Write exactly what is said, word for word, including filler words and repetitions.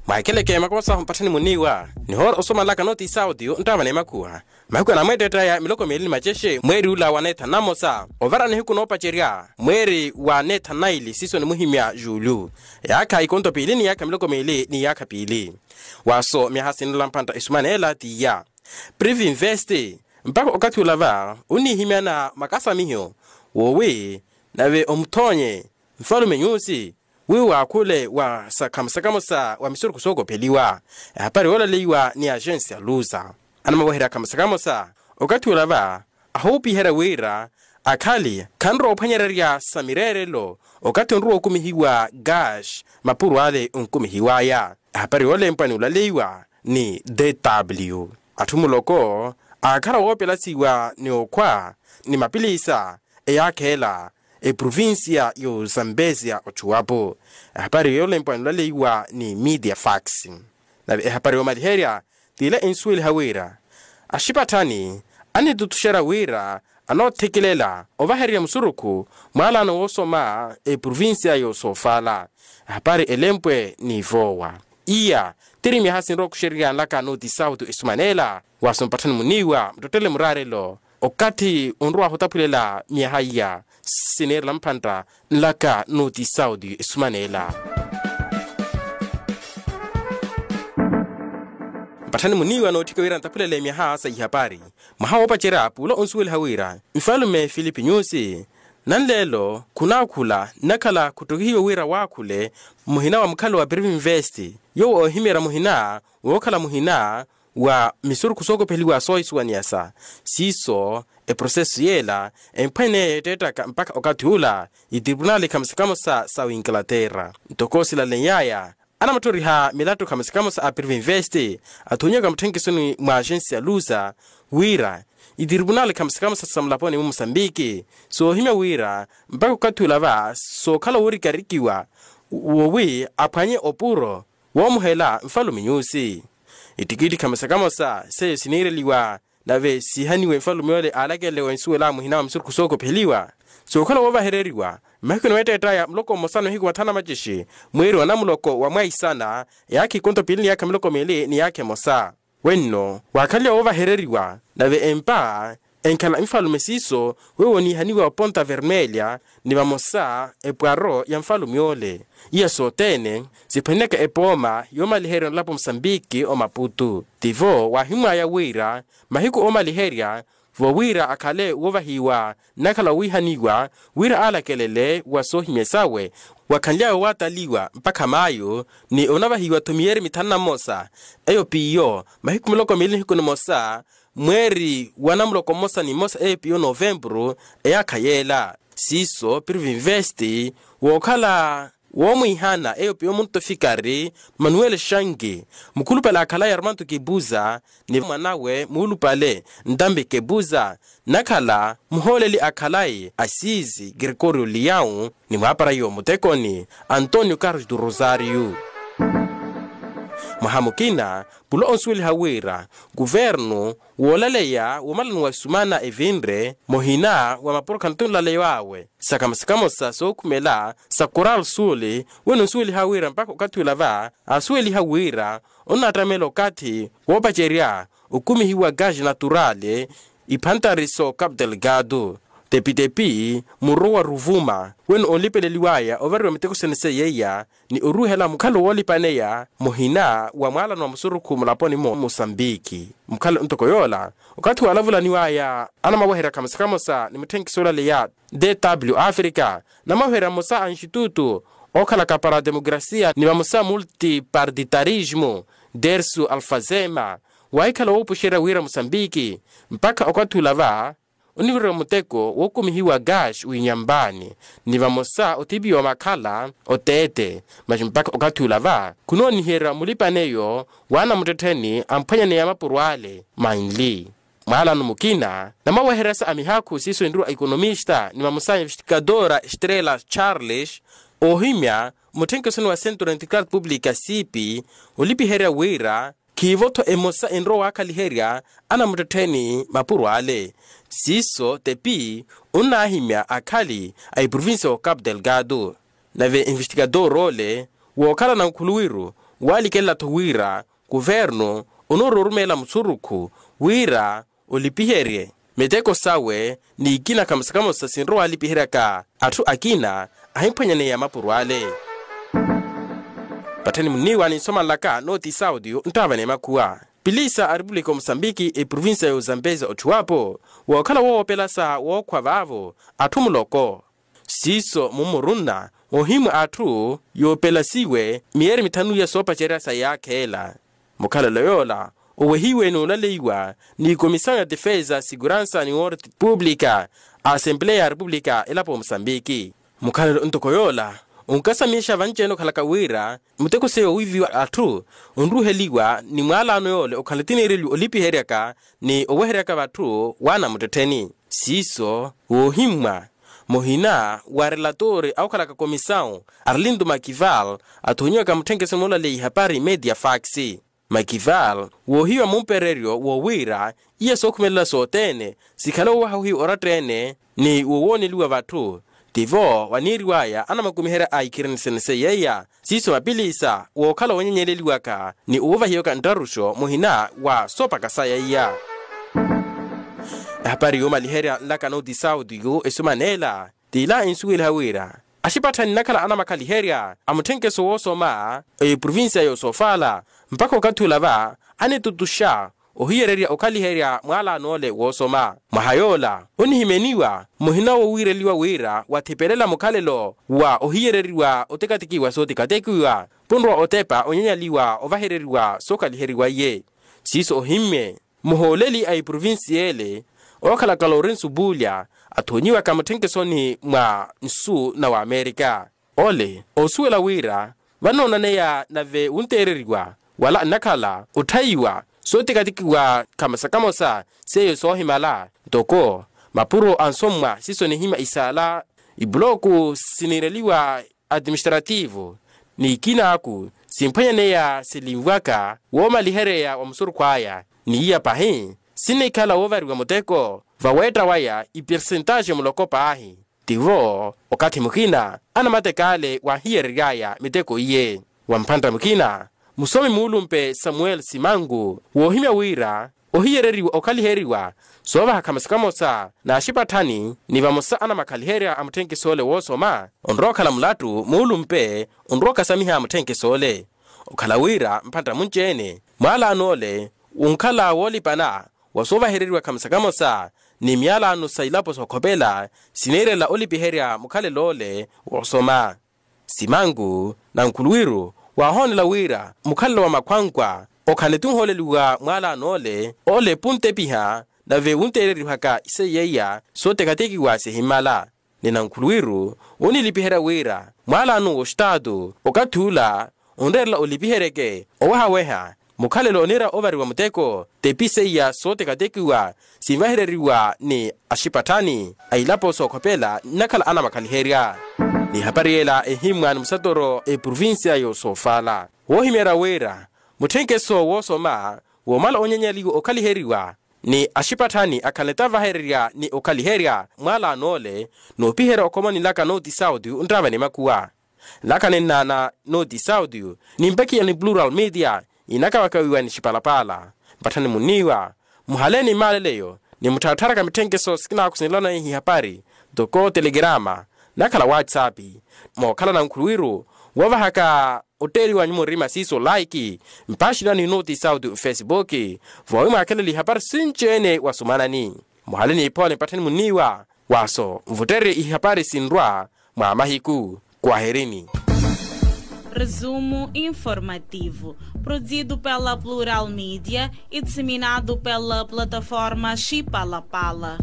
Mwahikeleke makosa mpattani muniiwa nihoora osomalaka nooti sautiyu nttaavana emakhuwa. Mahiku anamweetteettaya miloko miili ni macexe mweeri ula wa neetha namosa ovara nihiku noopacerya mweeri wa neetha naili siiso nimuhimya juulyu, yaakha ikonto piili ni yaakha miloko miili ni yaakha piili. Waaso myaha sinnola mpantta esumaneela t'iya privinvesti. Mpakha okathi ula va onihimyana makasamiho woowi nave omuthoonye nfalume nyuusi wi waakhule wa sakhamusakamusa wa misurukhu sookopheliwa. Ehapari yooleleiwa ni axensi ya lusa anamaweherya khamusakamusa okathi ula va ahoopiherya wira akhali khanrowa ophwanyererya sa mireerelo okathi onrowa okumihiwa gash mapuro ale onkumihiwaya. Ehapari yoolempwa ni olaleiwa ni dw atthu muloko aakhala woopelasiwa ni okhwa ni mapiliisa eyaakheela eprovincia y'ozambezia ochuwapo. Ehapari yoolempwa ni olaleiwa ni media fax. Nave ehapari yoomaliherya t'ile ensuweliha wira axipatthani anitutuxerya wira anoothekelela ovahererya musurukhu mwaalano woosoma eprovincia y'osoofaala. Ehapari elempwe ni voowa iya tiri myaha sinrowa okuxererya nlaka nooti sautu esumaneela waaso mpatthani muniiwa muttottele muraarelo okathi onrowahu otaphulela myaha iya siniirela mphantta nlaka nooti sauti esumaneela. Mpatthani muniiwa nootthika wira ntaphulele myaha sa ihapari mwaha woopacerya puulo onsuweliha wira nfalume filipi nyusi nanleelo khunaakhula nnakhala khuttokihiwe wira waakhule muhina wa mukhalo wa privinvesti yoowo oohimeerya muhina wookhala muhina wa misurukhu sookopheliwa soohisuwaniyasa. Siiso eprosesu yeela emphwanye yeetteettaka mpakha okathi ula itripunali khamusakamusa sa winglaterra ntoko silaleiny'aya anamutthoriha milattu khamusakamusa a privinvesti athoonyiwaka mutthenkesoni mwa axensi ya lusa wira itripunali khamusakamusa sa mulaponi mu musambiki soohimya wira mpakha okathi ula va sookhala woorikarikiwa woowi aphwanye opuro woomuhela nfalume nyusi. Ittikitthi khamusakamusa seiyo siniireliwa nave siihaniwe nfalume ole aalakelele wensuwela muhina wa misurukhu sookopheliwa sookhala woovahereriwa mahiku niweetteettaya muloko mmosa ni mahiku mathanu na macixi mweeri wa namuloko wa mwaisana yaakha ikonto piili ni yaakha miloko miili ni yaakha emosa. Wenno waakhanliwa woovahereriwa nave empa enkhala nfalume siiso wewo niihaniwa oponta vermelya ni vamosa epwaro ya nfalume ole iya sothene siphwanyaka epooma yoomaliherya onlapo musambiki omaputu tivo waahimwaya wira mahiku oomaliherya vo wira akhale woovahiwa nnakhala wowiihaniwa wira aalakelele wa soohimya sawe wakhanly'awe waataliwa mpakha maayo ni onavahiwa-tho miyeeri mithanu na mmosa eyo piyo mahiku miloko miili nihiku nimosa mweeri wa namuloko mmosa ni mmosa eyo piyo novempuru eyaakha yeela siiso privinvesti wookhala woomwiihana eyo piyo munto fikari manuel shangi mukhulupale akhalaye armanto kibuza ni mwanawe muulupale ntambi kibuza nakhala muhooleli akhalaye asiisi gregorio liau ni mwaaparayiwa mutekoni antonio carlos du rosario. Mwaha mukina pulo onsuweliha wira kuvernu woolaleya woomalani wa esumana evinre muhina wa mapuro khanatuni olaleya awe sakamusakamusa sookhumela sa coral suli wene onsuweliha wira mpakha okathi ula va aasuweliha wira onnaattamela okathi woopacerya okumihiwa gage naturale iphantari so cap delgado tepitepi murwa wa ruvuma wene onlipeleliwaya ovariwa miteko sene seiya iya ni oruhela mukhalo woolipaneya muhina wa mwaalano wa musurukhu mulaponi mu musambiki mukhalo ntoko yoola okathi waalavulaniwaya anamaweherya khamosa khamosa ni mutthenkiso olaleya dw africa namaweherya mmosa a institutu ookhalaka para a demokrasia ni vamosa multipartitarismo dersu alfazema waahikhala woopuxerya wira musambiki mpakha okathi ula va oniviriwa muteko wookumihiwa gash winyambani ni vamosa othipiwa makhala oteete masi mpakha okathi ula va khunooniherya mulipaneyo waana muttettheni amphwanyaneya mapuro ale manli mwaalano mukina namaweheryasa a mihaakhu siiso enriwa a ekonomista ni vamosa a investigadora estrela charles oohimya mutthenkesoni wa centro integral publica siipi olipiherya wira khiivo-tho emosa enrowa waakhaliherya anamuttettheni mapuro ale siiso tepi onnaahimya akhali a eprovincia wa cap delgado nave investigador ole wookhala na nkhuluwiru walikelela-tho wira kuvernu onoorowa orumeela musurukhu wira olipiherye miteko sawe ni ikina kamosa kamosa sinrowa walipiheryaka atthu akina ahimphwanyaneya mapuro ale. Patthani munniiwa ninsomanlaka nooti saudio nttaavani emakhuwa pilisa a repupulika ya musambiki eprovincia ya uzambeza otthiwapo wookhala woopelasa wookhwa vaavo atthu muloko. Siiso mummurunna ohimwa atthu yoopelasiwe miyeeri mithanu iya soopacerya sa yaakheela. Mukhalelo yoola owehiwe n'ulaleiwa ni komisawu ya defesa seguransa ni word públika a asempleya ya repupulika elapo musambiki. Mukhalelo ntoko yoola onkasamixa vanci-ene okhalaka wira muteko seiya owiiviwa atthu onruheliwa ni mwaalaano yoole okhala tiniireliwa olipiheryaka ni oweheryaka vatthu waana muttettheni. Siiso woohimmwa muhina wa relatori awokhalaka komisawu arlindo makival athoonyiwaka mutthenkeso moolaleya ihapari media fax. Makival woohiwa mumpereryo woowira iya sookhumelela sothene sikhale wowaha ohiya oratta-ene ni wowooneliwa vatthu. Tivo waniiriwaya anamakumiherya a ikhireniseni seiya iya siiso mapilisa wookhala owanyanyeeleliwaka ni owovahiyaka nttaruxo muhina wa soopaka saya iya. Ehapari yoomaliherya nlaka nooti saudio esumaneela t'ila ensuweliha wira axipatthani nnakhala anamakhaliherya a mutthenkeso woosoma eprovincia y'osoofala mpakha okathi ola va anitutuxa ohiyererya okhaliherya mwaalaano ole woosoma. Mwaha yoola onihimeniwa muhina wowiireliwa wira wathipelela mukhalelo wa ohiyereriwa otekatikiwa sootekatekiwa punrowa otepa onyanyaliwa ovahereriwa sookhaliheriwa iye. Siiso ohimmye muhooleli a eprovincia ele ookhalaka lorensu bulya athoonyiwaka mutthenkeso ni mwa nsu na wamerika. Ole osuwela wira vanoonaneya nave wunteereriwa wala nnakhala otthaiwa sootekatikiwa kamosa kamosa seiyo soohimala ntoko mapuro ansommwa siiso nihimya isaala ipuloku siniireliwa atiministrativu ni ikinaaku simphwanyaneya silinvwaka woomalihereya wa musurukhu aya ni iya pahi sinikhala woovariwa muteko vaweetta waya ipersentaxe muloko paahi. Tivo okathi mukina anamateka ale waahiyereryaya miteko iye wa mphantta mukina musomi muulumpe samuel simangu woohimya wira ohiyereriwa okhaliheriwa soovaha kamosa kamosa n'axipatthani ni vamosa anamakhaliherya a mutthenkeso ole woosoma onrowa okhala mulattu muulumpe onrowa okasamiha mutthenkeso ole. Okhala wira mphantta munci-ene mwaalaano ole onkhala woolipana wa soovahereriwa kamosa kamosa ni myaalaano sa ilapo sookhopela siniirela olipiherya mukhalelo ole woosoma. Simanku nankhuluwiru waahoonela wira mukhalelo wa makhwankwa okhale tunhooleliwa mwaalaano ole ole puntepiha nave wunteererihaka iseiya iya sootekatekiwa sihimmala. Ni nankhuluwiru onilipiherya wira mwaalaano w'ostaatu okathi ula onreerela olipiheryeke owehaweha mukhalelo oniira ovariwa muteko tepi seiya sootekatekiwa sinvahereriwa ni axipatthani a ilapo sookhopela nnakhala anamakhaliherya. Ni ehapari yela ehimmwa ni musatoro eprovincia y'osoofala woohimyerya wira mutthenkeso woosoma woomala onyanyaliwa okhaliheriwa ni axipatthani akhaleta vahererya ni okhaliherya mwaalaano ole noopiherya okhomoni nlaka nooti saudio nttaavani makuwa. Nlaka ninnaana nooti saudio nimpakiya ni plural media inakawakawiwa ni xipalapaala mpatthani munniiwa muhale ni maaleleyo ni muttharattharaka mitthenkeso sikinaaku sinilonaihi hapari ntoko telegrama nakhala whatsapp mookhala nankhuluwiru woovahaka otteeliwanyu murima siiso like mpaaxinani nooti saudio facebook voowi mwaakhelele ihapari sinci-ene wasumanani. Muhale n'iphone pattheni munniiwa waaso nvutterye ihapari sinrwa mwa mahiku. Kwaherini. Resumo informativo, produzido pela Plural Media e disseminado pela plataforma Chipalapala.